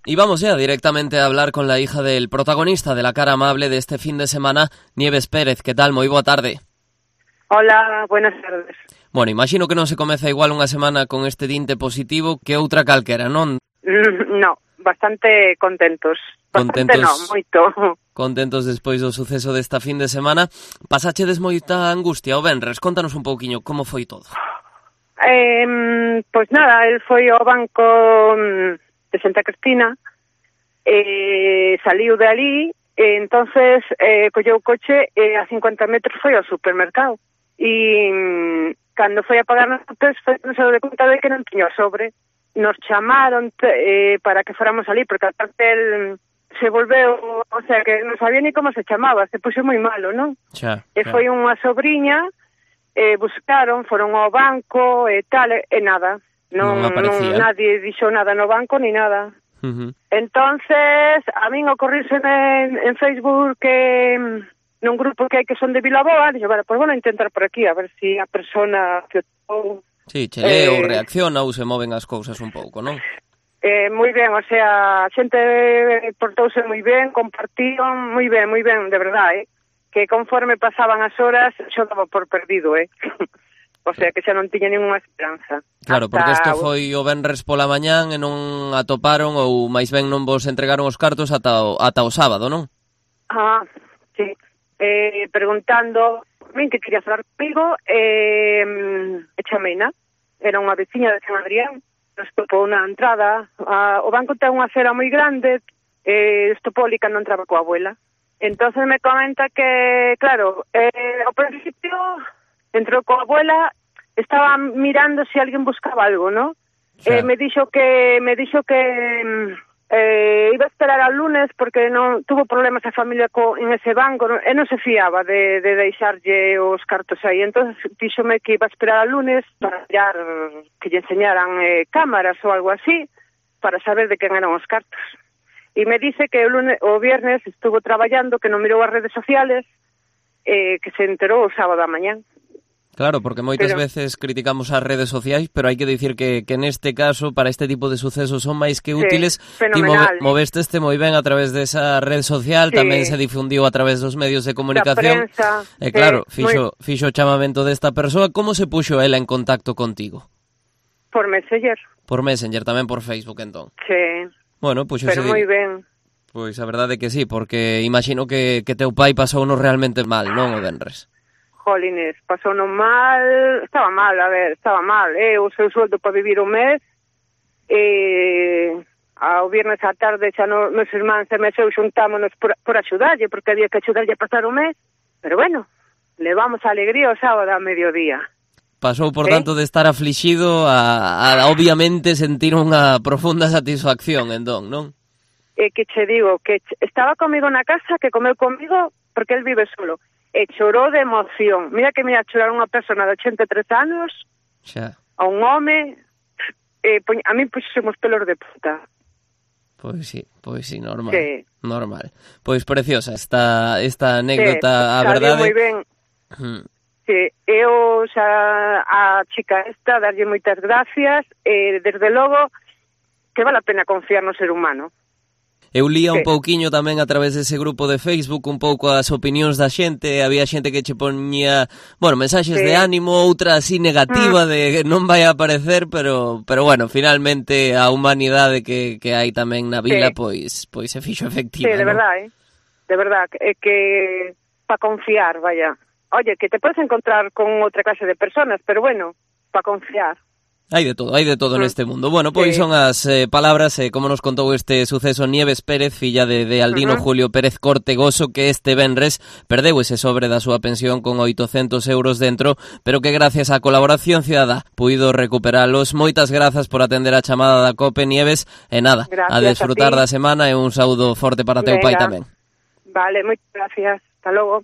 Y vamos ya directamente a hablar con la hija del protagonista de la cara amable de este fin de semana, Nieves Pérez. Que tal? Moi boa tarde. Hola, buenas tardes. Bueno, imagino que non se comeza igual unha semana con este dinte positivo que outra calquera, non? No, bastante contentos. Bastante Contentos, no, moito. Contentos despois do suceso desta fin de semana. Pasachedes moita angustia o venres? Contanos un pouquiño como foi todo. Pois nada, el foi ao banco de Santa Cristina, saliu de ali, entonces colleu o coche e a 50 metros foi ao supermercado. E cando foi a pagar nos hotéis, non se deu de conta de que non tiña o sobre. Nos chamaron para que fóramos ali, porque aparte el se volveu, o sea, que non sabía ni como se chamaba, se puxo moi malo, non? Xa. Foi unha sobrinha, buscaron, foron ao banco e tal, e nada. Non aparecía. Nadie dixo nada no banco ni nada. Entonces, a min ocorríseme en Facebook que nun grupo que hai que son de Vilaboa, dixo, vale, pues bueno, intentar por aquí, a ver si a persona que Sí, che lee ou reacciona ou se moven as cousas un pouco, non? Moi ben, o sea, a xente portouse moi ben, compartían moi ben, de verdade, que conforme pasaban as horas, xo daba por perdido, O sea, que xa non tiña ninguna esperanza. Claro, porque isto foi o venres pola mañán e non atoparon ou máis ben non vos entregaron os cartos ata o sábado, non? Sí. Preguntando min que quería falar comigo, chameina. Era unha veciña de San Adrián, nos topou na entrada. O banco ten unha acera moi grande, estopou ali cando entraba coa abuela. Entonces me comenta que, claro, ao principio entrou coa abuela, estaba mirando se alguén buscaba algo, ¿no? Me dixo que iba a esperar al lunes porque non tuvo problemas a familia en ese banco, e non se fiaba de deixarlle os cartos aí. Entonces díxome que iba a esperar al lunes para mirar, que lle enseñaran cámaras ou algo así, para saber de quen eran os cartos. E me dice que o viernes estuvo traballando, que non mirou as redes sociales, que se enterou o sábado a mañán. Claro, porque moitas veces criticamos as redes sociais, pero hai que dicir que neste caso, para este tipo de sucesos, son máis que útiles. Fenomenal. Ti movesteste moi ben a través desa red social, tamén se difundiu a través dos medios de comunicación. Da prensa. E claro, fixo o chamamento desta persoa. Como se puxo ela en contacto contigo? Por Messenger. Por Messenger, tamén por Facebook, entón. Sí. Bueno, pero moi ben. Pois a verdade é que sí, porque imagino que teu pai pasouno realmente mal, non, o venres? Jolines, pasou non mal, estaba mal. O seu sueldo para vivir un mes, ao viernes á tarde xa nos irmáns e meseu xuntámonos por axudarlle, porque había que axudarlle a pasar o mes, pero bueno, levamos a alegría o sábado a mediodía. Pasou, por tanto, de estar aflixido a obviamente sentir unha profunda satisfacción, entón, non? Que che digo, que estaba comigo na casa, que comeu comigo, porque el vive solo, e chorou de emoción. Mira que me ia chorar unha persona de 83 anos, xa, a un home, a mí puxemos pelos de puta. Pois sí, normal. Sí. Normal. Pois preciosa esta anécdota, a verdade. Moi ben. Sí, eu xa a chica esta darlle moitas gracias, desde logo que vale a pena confiar no ser humano. Eu lía un pouquiño tamén a través dese grupo de Facebook un pouco as opinións da xente, había xente que che poñía, bueno, mensaxes de ánimo, outra así negativa de non vai a aparecer, pero bueno, finalmente a humanidade que hai tamén na vila, pois se fixo efectiva. Sí, de verdade, é que para confiar, vaya. Oye, que te podes encontrar con outra clase de personas, pero bueno, para confiar. Hai de todo neste mundo. Bueno, pois son as palabras, como nos contou este suceso Nieves Pérez, filla de Aldino Julio Pérez Cortegoso, que este venres perdeu ese sobre da súa pensión con 800 euros dentro, pero que gracias á colaboración cidadá puido recuperalos. Moitas grazas por atender a chamada da COPE, Nieves, e nada, gracias, a desfrutar da semana e un saúdo forte para teu pai tamén. Vale, moitas gracias. Hasta logo.